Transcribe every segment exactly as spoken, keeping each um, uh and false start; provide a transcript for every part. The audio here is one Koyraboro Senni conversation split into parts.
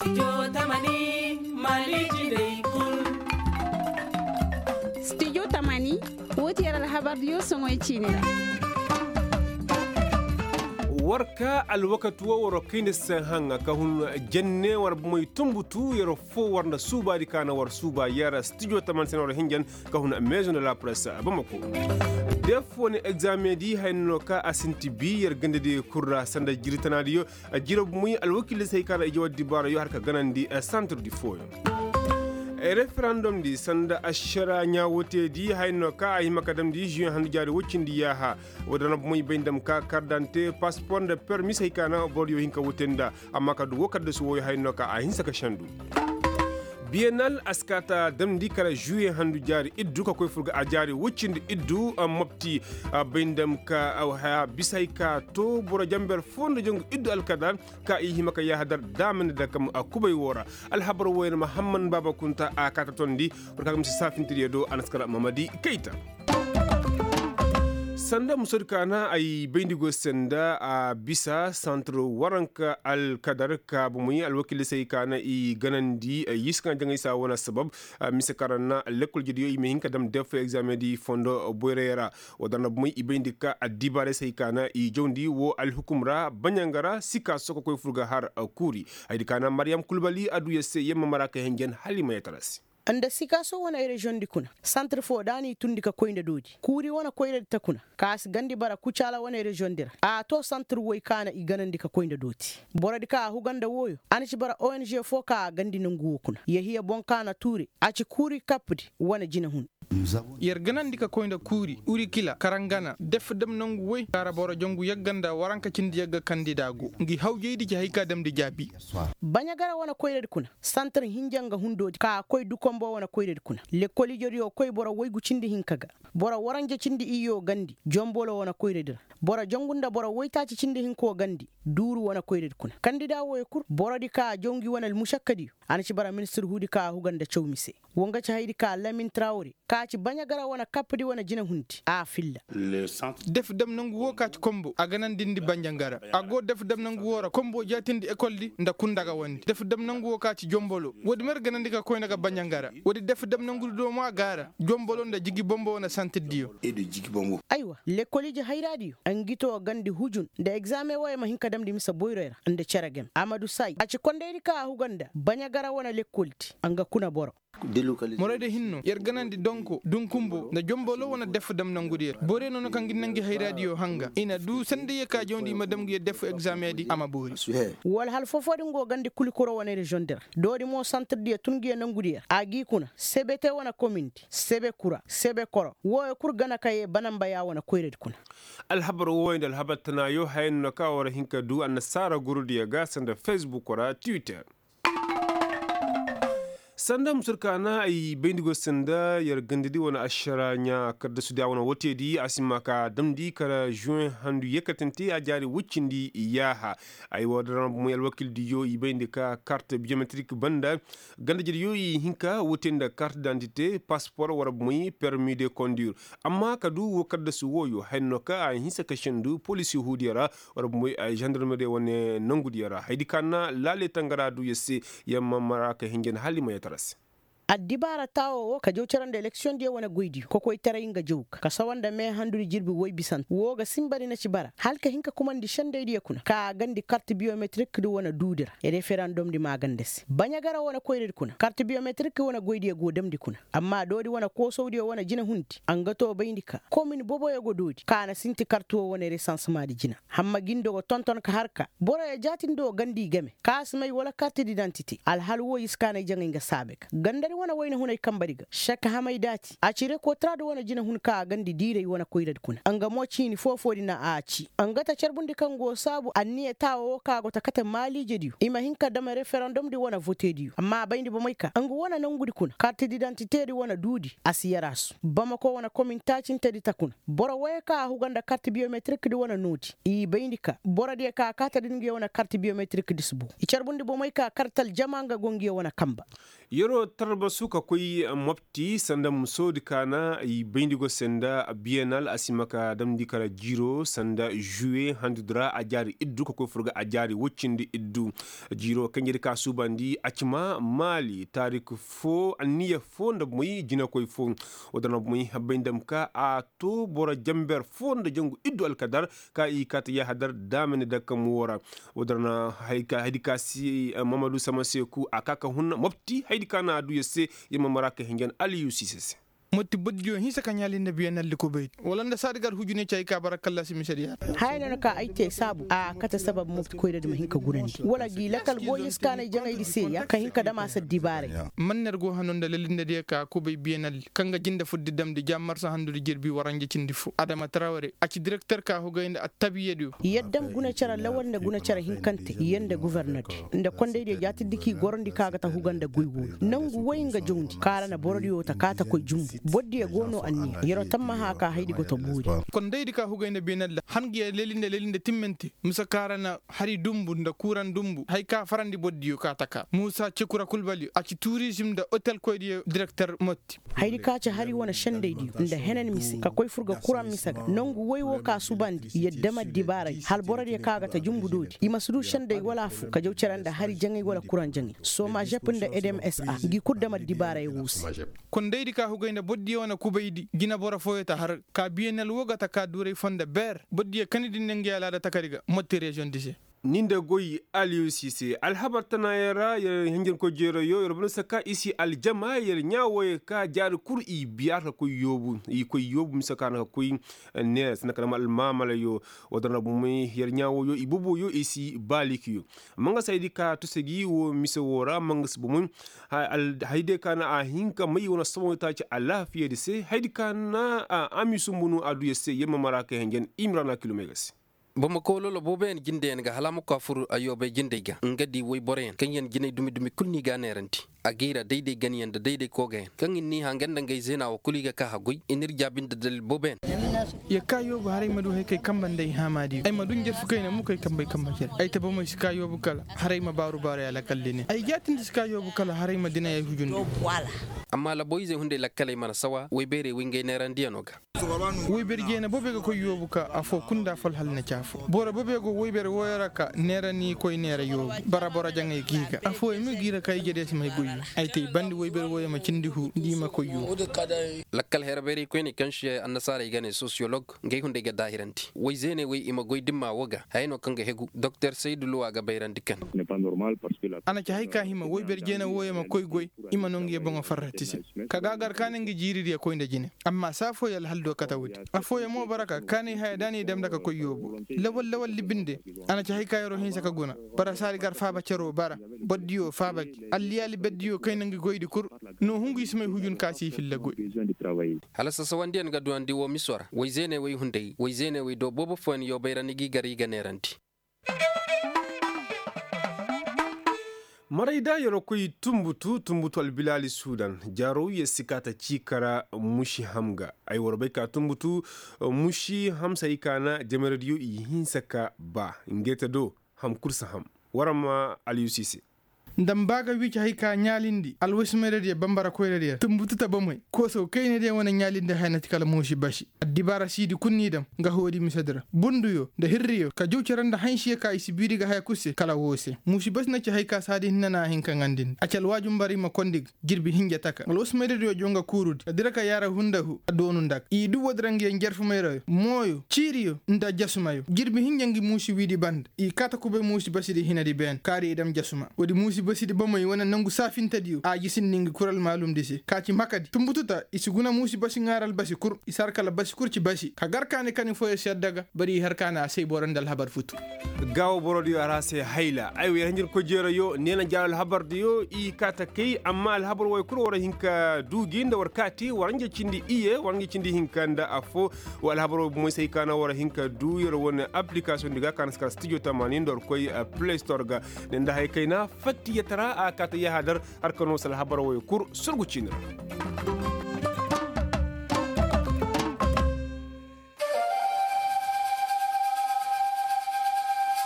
Studio tamani, woo ti yer alhabardiyo soŋoy ciini ra. War ka alwakati woo war kayndi se haŋa ka hun jenne war bomey tumbutu yer foo war nda suubaadi ka na war suuba yer studio tamani se na war hinjan ka hun maison de la presse bamako. Def wane egzameŋ di haya no ka a sinti bi yer gandadi kul ra sanda jiri tanaadiyo. Jiro bumey alwakiiley se hay ka na i jaw addibaarayo har ka ganandi santir di fooyaŋ. Referandom di sanda ašara ɲaa woo te di haya no ka a hima ka damndi žuweŋ handu jaari woy cindi yaaha. Woo da na bumey bay nda dam ka kardante paspor nda permis hay ka na boro diyo hin ka woo te nda. Amma ka du woo kaddasu wooyo haya no ka a hinsa ka sendu. Biyenal a si kaa ta damndi kala žuweŋ handu jaari iddu ka koy fur ga a jaari woy cindi iddu mopti. Bay nda dam ka haya bisa hay ka to boro jamber foo nda jangu iddu alkadar. Ka i hima ka yaaha dar daamandi da kam a kubay woo ra. Alhabar wooyaŋ mahamman baaba kunta a kaa ta tondi. War ka ga misi saafintidiyo do a na si kala mamadi kayta. Sanda musoodi ka na ay bayndi go se nda a bisa santir waranka alkadar ka bumey alwakiiley se ay ka na i ganandi. Y'i si ka na jaŋay se a wane sabab. Mise kaŋ ra na lekkol jediyo i ma hin ka dam def egzameŋ di fondo boyray ra. Woo da na bumey i bayndi ka addibaarey se ay ka na i jawndi woo alhukum ra baɲanga ra sika sokokoy fur ga har kuuri. Hayadi ka na maryam kulbali a du yer se yer ma mara ka hinjan hala i ma yee tara se. Nda sikaaso wane reziyoŋ di kuna santir foo da a n'i tundi ka koy nda doodi kuuri wane koyradi ta kuna. Ka si gandi bara kucaala wane reziyoŋ di ra a too santir woy ka na i ganandi ka koy nda doodi. Borodi ka a huga nda wooyo a na ci bara ong foo ka a gandi nongu woo kuna yehiya boŋ ka na tuure a ci kuuri kapdi wane jinahun. Yer ganandi ka koy nda kuuri urikila karangana def dam nongu woy kaara boro jangu yagga nda waranka cindi yagga kandida go ngi hawjaydi ci hay ka damndi jaabi. Baɲagara wane koyradi kuna santir hinja nga hundoodi ka koy dukombo wane koyradi kuna lekkol ijediyo koy boro woygu cindi hinka ga. Boro waranja cindi iyyo gandi jombolo wane koyradi ra. Boro jangu nda boro woytaaci cindi hinko gandi duuru wane koyradi kuna kandida wooyo kul borodi ka a jaw ngi wane almušakkadiyo. A na ci bara ministir huudi ka a huga nda caw mise. Woo nga ci hayadi ka lamin trawre ka ci baɲagara wane kapdi wane jinehundi a filla. Def dam nongu woo ka ci kombo a ganandindi baɲangara. A go def dam nongu woo ra kombo jaatindi ekoldi nda kundagawandi def dam nongu woo ka ci jombolo woodi mer ganandi ka koy nda ga baɲangara. Woodi def dam nongudi do mo a gaara jombolo nda jigi bombo wane santirdiyo. Aywa lekkol ije hayraadiyo. Ngi too gandi hujun nda egzameŋ wooyo ma hin ka damndi mise boyroy ra nda cere game amadu say a ci kondaydi ka a huga nda baɲagara wane lekkoldi. Nga kuna boro. Morayda hinno yer ganandi donko dunkumbo nda jombolo wane def dam nangudi yer borey no no kaŋ gi na ngi hayraadiyo hanga i na du sanda ye ka jawndi i ma dam ngi yer def egzameŋ di a ma boori. Wala hal foo foo din go gandi kulikuro wane reziyoŋ di ra doodi mo santirdiyo tun ngi yer nangudi yer a g'i kuna sebe te wane komindi sebe kura sebe koro wooyo kul gana ka yee banamba ya wane koyradi kuna. Alhabar wooyo nda alhabar tanaayo haya no ka war hin ka du annasaara gurudiyo ga sanda fesbuk ra twitter. Sanda musur ka na ay bayndi go se nda yer gandadi wane ašara ɲaa kaddasudi a wane woteedi a si ma ka damndi kala žuweŋ handu yekkatante a jaari woy cindi yaaha. Ay woo da ra mo alwakildiyo i bayndi ka kart biyometrik banda gandajediyo i hin ka wote nda kart dantite paspor war moy permi de kondur. Amma ka du woo kaddasu wooyo haya no ka a hinsa ka sendu polisi huudiyo ra war moy žandarmeriyo wane nongudiyo ra hayadi ka na laale tangara du yer se. Yer ma mara ka hinjan hala i ma yee tara se. Addibaara taawo woo ka jaw cere nda eleksiyoŋdiyo wane goydiyo kokoytaray nga jaw ga ka sawa nda meehandudi jirbi woy bisante woo ga sinbadi na ci bara hala ka hin ka kumandi sendaydiyo kuna ka a gandi kart biyometirikdi wane duudi ra referandumdi maaganda se baɲagara wane koyradi kuna kart biyometirikdi wane goydiyo go damndi kuna. Amma doodi wane koosawdiyo wane jinehundi a nga too bayndi ka komin boboyo go doodi ka a na sinti kart woo wane resansemaadi jina. Hamma gindo ga tonton ka har ka boroyo jaatindi woo gandi i game ka a si may wala kartididantite alhal woo i si kaanay jaŋay nga saabe ga gandadi wane wayna hunay kambadi ga šek hamay daati a ci rekotraadi wane jinehun ka a gandi diiray wane koyradi kuna nga mo ciini foofoodi na a ci nga ta carbundi kaŋ go saabu anniya taawa woo ka go ta kate maaliijediyo i ma hin ka dam referandumdi wane votediyo amma a bayndi bomey ka nga wane nongudi kuna kartididantitedi wane duudi a si yarasu bamako wane komin taacintedi ta kuna. Boro wooyo kaŋ a huga nda kart biyometirikdi wane noodi i bayndi ka borodiyo kaŋ a kaata da ngiyo wane kart biyometirikdi si boo i carbundi bomey ka kart aljama nga go ngiyo wane kamba. Yeroo tarbasu ka koy mopti sanda musoodi ka na i bayndi go se nda biyenal a si ma ka damndi kala jiiro sanda žuwe handudi ra a jaari iddu ka koy furga a jaari woy cindi iddu. Jiiro kanjedi ka suubandi a ci ma maali taarik foo anniya foo nda moy jinakoy foo. Woo da na moy bay nda ma ka a too boro janber foo nda jangu iddu alkadar ka i kaati yahadar daamani dakam woo ra. Woo da na haydi ka si mamadu sama seeku a ka ka hun mopti haydi ka na a duu yer se. Yer ma mara ka hinjan aliyusi se se. Mopti boddiyo hinsa ka ɲaali nda biyanaldi kubay wala nda saadi gar hujune ci ay ka bara kallasi misediya. Haya no na ka ay te saabu a kate sabab mopti koyradi ma hin ka gunandi wala gi lakal goy hinsa ka na ay jaŋaydi se ya ka hin ka dam a se addibaaray. Man na ir go hano nda lalindadiyo ka kubay biyanaldi kaŋ ga jinde fuddi damndi ja marsa handudi jirbi waranja cindi fo adama taraware a ci direkter ka hugay nda attabiyadiyo. Yaddam guna cere lawal nda guna cere hinkante yer nda guvernerdi nda kondaydiyo jaatiddi k'i gorandi ka ga ta huga nda goy wooyo nangu woy nga jawndi kaara na borodiyo ta kaa ta koy jumbu. Bordiyo go no anniya yer'o tammaha ka haydi go ta boori. Kondaydi ka hugay nda beenalla han ga yer leli nda leli nda timmante mise kaara na hari dumbu nda kuuraŋ dumbu hay ka farandi bordiyo ka taka muusa cekura kulbaliyo a ci turizim nda otelkoydiyo direkter motti. Haydi ka ci hari wane sendaydiyo nda henen mise ka koy furga kuraŋ mise ga nangu woy wo ka subandi yaddama dibaaray hal borodiyo ka ga ta jumbu doodi i ma si du senday wala afo ka jaw cere nda hari jaŋay wala kuraŋ jaŋay somajep nda edem sa ngi kul dama dibaaray wo se. Kondaydi ka hugay nda bordiyo wane kubaydi jina boro fooyo ta har ka biyenel wo ga ta ka duuray foo nda beer bordiyo kanidi ne ngi alaada takari ga motti reziyoŋdi se. Ni nda goy aliyusi se alhabar tanayaŋ ra yer hinjankoy jeerayo yer bana saka i si aljama yer ɲaa wooyo ka jaari kul i biyaata koy yoobu i koy yoobu mise ka na ka koy neera sanda ka dama almaamalayo. Woo da na bomey yer ɲaa wooyo i boboyo i si baalikiyo. Mangasi haydi ka tusa gi woo mise woo ra mangasi bomey haydi ka na a hin ka may wane somoytaaci alaafiyadi se haydi ka na a ami sumbu no a duu yer se yer ma mara kay hinjan i ma ra na kilomey ga se. Bamako lolo booboyaŋ jindeyaŋ ga hala a ma koy a fur ayyoobay jindey ga nga di woyboroyaŋ kaŋyaŋ jinay dumi dumi kul no i g'a neerandi. A g'i ra dayday ganyaŋ nda dayday koogayaŋ kaŋ i n'i hã nga nda ngey zeena woo kul i ga ka haggoy i n'ir jaabi nda dalil booboyaŋ. Yer ka yoobu haray ma du haykay kamba nda ay haamaadiyo ay ma du njarfu kayna mukay kambay kamba cere ay ta bamey si ka yoobu kala haray ma baaru baaru ya lakal dine ay jaatindi si ka yoobu kala haray ma dine ay hujundi. Amma laboyzey hunday lakkaley mana sawa woybeerey woy ngey neerandiyanoo ga. Woybere jeena boobey ga koy yoobu ka afoo kul nda fol hala na ci afoo boro boobey go woybere wooyo ra ka neera n'i koy neera yoobu bara boro jaŋay g'i ga afooyaŋ mo g'i ra ka ijediyo si may goyyo. Ay te i bandi woybere wooyo ma cindi huu nda i ma koy yoobu. Lakkal herebeeraykoyney kaŋ si annasaarey ga ne sosiyolog ngey hunday ga daahirandi woy zeeney woy i ma goy dimma woo ga haya no kaŋ ga hegu doktor saydu luwa ga bayrandi kan. A na ci hay ka hima woybere jeena wooyo ma koy goy i ma no nga ye boŋo farrati se. Ka ga a gar kaani nga jiiridiyo koy nda jine amma saa fooyaŋ alhal do kate woodi. Afooyaŋ mo bara ka kaanay haya da n'i dam nda ka koy yoobu lawal lawal libinde. A na ci hay ka yer'o hinsa ka guna bara saadi gar faaba cer'o bara bordiyo faaba gi alliyaali berdiyo kayna ngi goydi kul. No hungu i si may hujun ka si i filla goy. Hala sasawandiyaŋ ga duwandi woo miso ra woy zeeney woy hunday woy zeeney woy do boobo fooyaŋ yoobayra ni g'i gar i ga neerandi. Maray da yer koy tunbutu tunbutu albilaali sudan jaaro yer si kaa ta ciika ra. Muši ham ga ay war bay ka tunbutu muši ham se ay kaana jamaradiyo i hinsa ka ba ngey ta do. Ham kul si ham war ma aliyusi se. Nda mba ga wiici hay ka ɲaalindi alwasimayradiyo bambara koyradiyo ra tunbutu ta bomey koosaw kaynadiyo wane ɲaalindi haya na ti kala muusi basi. Addibaara siidi kul n'i dam nga hoodi misedi ra bunduyo nda hirriyo ka jaw cere nda hansiyo ka i si biiri ga haya kul se kala woo se muusi basi na ci hay ka saadi hinne na a hin ka ŋandindi a ci alwaaju mbaray ma kondi ga. Jirbi hinja taka alwasimayradiyo jaw nga kuurudi ka dira ka yaara hundahu a doonu nda ga i du woodi ra ngi ya njarfumayrayo mooyo ciiriyo nda jasumayo jirbi hinja ngi muusi wiidi banda. I kaa ta kubay muusi basidi hinadi beene kaari i dam jasuma woodi muusi basidi bomey wane nangu saafintadiyo a jisindi ngi kul almaalumdi se ka ci makadi tunbututa i si guna muusi basi ŋaara albasi kul i si har kala basi kul ci basi ka gar kaani kani fooyo si adda ga. Bari i har kaani a say boro nda alhabar futu. Gaawo borodiyo a ra se hayla ay wa yer hanjirkoy jeerayo neena jaaro alhabardiyo i kaa ta kay amma alhabar wooyo kul war hin ka duu gi nda war kaa te war hanja cindi iye war hanja cindi hinka nda affoo. Wa alhabar wooyo bomey se ay kaa na war hin ka duu yer wane appilikasoŋ di ga kaa na si kala stijo tamaani nda war koy play store ga. Ne nda haya kayna fattiyatara a kaa ta yahadar. Har ka noo si alhabar wooyo kul surgu ciini ra.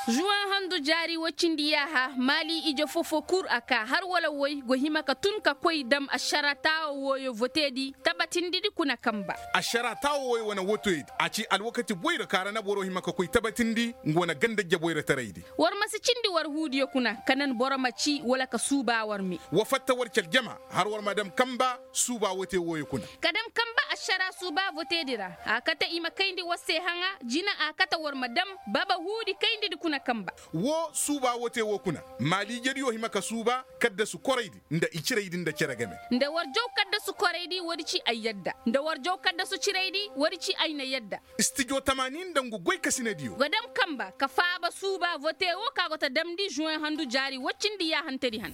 Zuwan handu jaari woy cindi yaaha maali ije foo-foo kul a kaa har wala woy go hima ka tun ka koy dam ašara taawo wooyo voteedi tabatindidi kuna kanba. Ašara taawo wooyo wane wotoydi a ci alwakati boyra ka ra na boro hima ka koy tabatindi nga wane ganda jaboyra taraydi. War ma si cindi war huudiyo kuna ka nan boro ma ci wala ka suuba war me. Wa fatta war ci aljama har war ma dam kanba suuba wote wooyo kuna. Ka dam kanba ašara suuba voteedi ra a kate i ma kayndi war se haŋa jina a kate war ma dam baba huudi kayndidi kuna kanba. Woo suuba wote woo kuna maaliijediyo hima ka suuba kaddasu koraydi nda i ciraydi nda cere game. Nda war jaw kaddasu koraydi woodi ci ay yadda nda war jaw kaddasu ciraydi woodi ci ay na yadda. Stijo tamaani nda ngu goykasinediyo ga dam kanba ka faaba suuba vote woo ka go ta damndi zuwen handu jaari woy cindi yaahantedi han.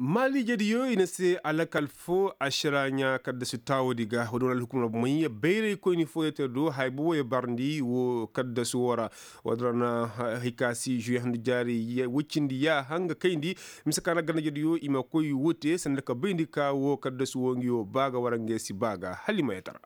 Maaliijediyo i na se alakal foo ašara ɲaa kaddasu taawodi ga woodi wane alhukumar may bayraykoyni fooyoo te do haya boboyo barndi woo kaddasu woo ra. Woodi ra na hay ka si zuwe handu jaari woy cindi yaaha nga kayndi mise ka na gandajediyo i ma koy woo te sanda ka bayndi ka woo kaddasu woo ngi woo ba ga wara nge si ba ga hala i ma yee tara.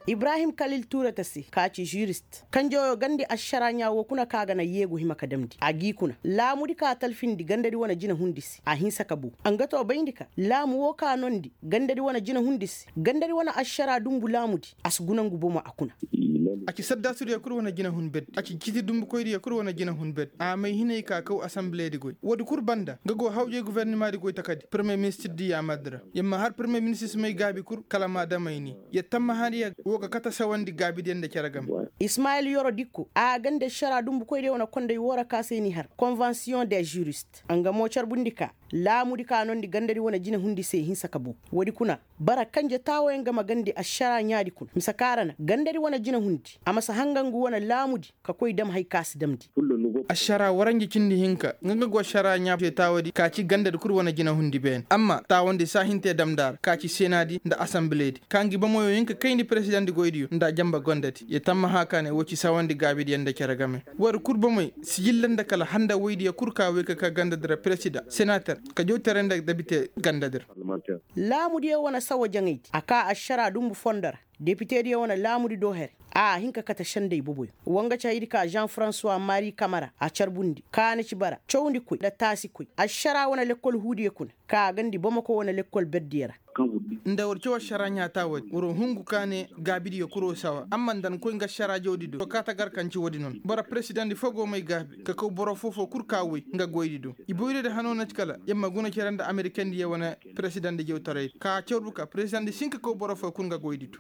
Ibrahim kalil tuurata se ka ci žurist kanjawyo gandi ašara ɲaa woo kuna ka ga na yeegu hima ka damndi a g'i kuna laamudi ka talfindi gandadi wane jinahundi se a hinsa ka buu a nga too bayndi ka laamu woo ka noondi gandadi wane jinahundi se gandadi wane ašara dunbu laamudi a si guna ngu bomo a kuna. A ci saddaasudiyo kul wane jinahun berdi a ci citi dunbukoydiyo kul wane jinahun berdi a may hinay ka kaw asambileedi goy woodi kul banda nga go hawjay gofornimaadi goy takadi peremiye ministirdi yaamardi ra yer ma har peremiye ministir si may gaabi kul kala m'a damayni yer tammahaadiyo woo ga kate sawandi gaabidiyo nda cere game. Ismayil yoro dikko a gandi ašara dunbukoydiyo wane konday woo ra ka se n'i har konvensiyoŋ de žurist nga mo carbundi ka laamudi ka noondi gandadi wane jinahundi se hinsa ka buu woodi kuna bara kanje taawoyaŋ ga ma gandi ašara ɲaadi kuna mise ka ra na gandadi wane jinahundi a ma si hanga ngu wane laamudi ka koy dam hay ka si damndi. Ašara waranja cindi hinka nga nga go ašara ɲaa se taawadi ka ci gandadi kul wane jinahundi beene amma taawandi saahintee damndi a ra ka ci senaadi nda asambileedi ka ngi bomoyo hin ka kayndi peresidandi goydiyo nda a janba gandadi yer tammaha ka ne woo ci sawandi gaabidiyo nda cere game woodi kul bomey sijilla nda kala handa woydiyo kul ka woy ka ka gandadi ra peresida senater ka jawtaray nda debite gandadi ra. Laamudiyo wane sawa jaŋaydi a ka ašara dunbu fondo ra depitediyo wane laamudi do here a hin ka kate senday boboyo woo nga ci haydi ka žan faransuwa mari kamara a carbundi kaana ci bara cawndikoy nda taasikoy ašara wane lekkol huudiyo kuna ka gandi bamako wane lekkol berdiyo ra. Nda war caw ašara ɲaa taawadi war hungu ka ne gaabidiyo kul woo sawa amma nda ni koy nga ašara jawdi do to ka ta gar kaŋ ci woodi noon boro peresidandi foo go may gaabi ka kaw boro foo-foo kul ka woy nga goydi do i boyroodi hanoo na ci kala yer ma guna cere nda amerikandiyo wane peresidandi jawtaray ka carbu ka peresidandi si hin ka kaw boro foo kul nga goydi do.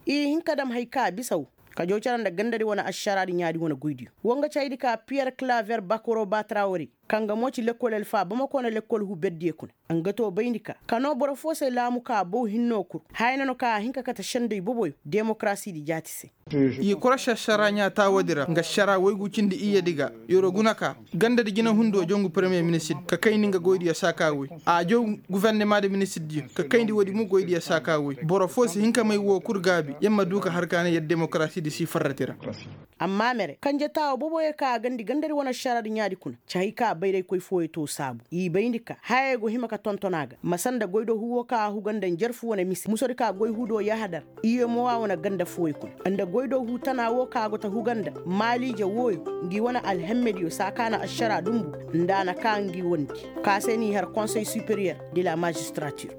I hin ka dam hay ka bisa woo ka jaw cere nda gandadi wane ašaraadi ɲaadi wane goydiyo woo nga ci haydi ka piyer klaver bakoro batrawari kaŋ ga mo ci lekkol alfa bamako wane lekkol huu berdiyo kuna nga too bayndi ka ka noo boro foo se laamu ka bow hinnoo kul haya na no ka a hin ka kate senday boboyo demokarasiidi jaati se. Yer korosi ašara ɲaa taawadi ra nga ašara woygu cindi iyyadi ga yer'o guna ka gandadi jinahundoo jongu peremiye ministir ka kayndi nga goydiyo saa ka woy a jow gufornemaadi ministirdiyo ka kayndi woodi mo goydiyo saa ka woy boro foo si hin ka may woo kul gaabi yer ma duu ka har ka ne yer demokarasiidi si farrati ra. Amma mere kanje taawo boboyo ka a gandi gandadi wane ašaraadi ɲaadi kuna ci hay ka bayraykoy fooyo too saabu i bayndi ka hayey go hima ka tonton a ga masa nda goydoo huu woo ka a huga nda njarfu wane mise musodi ka goy huu do yahadar iyemowa wane ganda fooyo kuna nda goydoo huu tana woo ka a go ta huga nda maaliije wooyo ngi wane alhemmediyo saa ka na ašara dunbu nda a na ka ngi wondi ka se n'i har konsey superiyer de la magistratir.